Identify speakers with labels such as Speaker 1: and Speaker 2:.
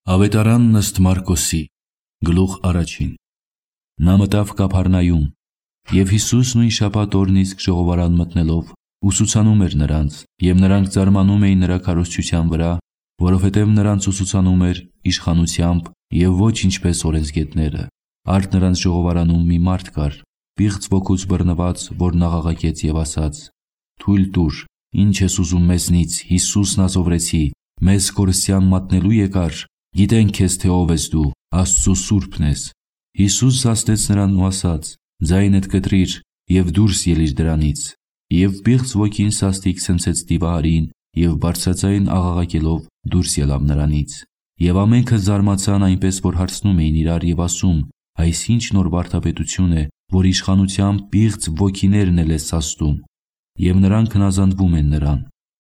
Speaker 1: Ավետարանն ըստ Մարկոսի, գլուխ առաջին։ Նա մտավ Կափառնայում, և Հիսուս նույն շաբաթ օրն իսկ ժողովարան մտնելով ուսուցանում էր նրանց, և նրանք զարմանում էին նրա քարոզչության վրա, որովհետև նրանց ուսուցանում էր իշխանությամբ և ոչ ինչպես օրենսգետները։ Արդ նրանց ժողովարանում մի մարդ կար, պիղծ ոգուց բռնված, որն աղաղակեց և ասաց. «Թույլ տուր, ինչ ես ուզում մեզնից, Հիսուս Նազովրեցի, մեզ կորսյան մատնելու եկար։ Գիտենք քեզ, թե ով ես դու, Աստծու Սուրբն ես»։ Հիսուս զսպեց նրան ու ասաց. «Ձայնդ կտրիր և դուրս ելիր դրանից»։ Եվ պիղծ ոգին սաստիկ ցնցեց դիվահարին և բարձրաձայն աղաղակելով դուրս ելավ նրանից։ Եվ ամենքը զարմացան, այնպես որ հարցնում էին իրար և ասում. «Այս ի՞նչ նոր վարդապետություն է, որ իշխանությամբ պիղծ ոգիներն էլ է սաստում»։ Եվ նրանք հնազանդվում են նրան։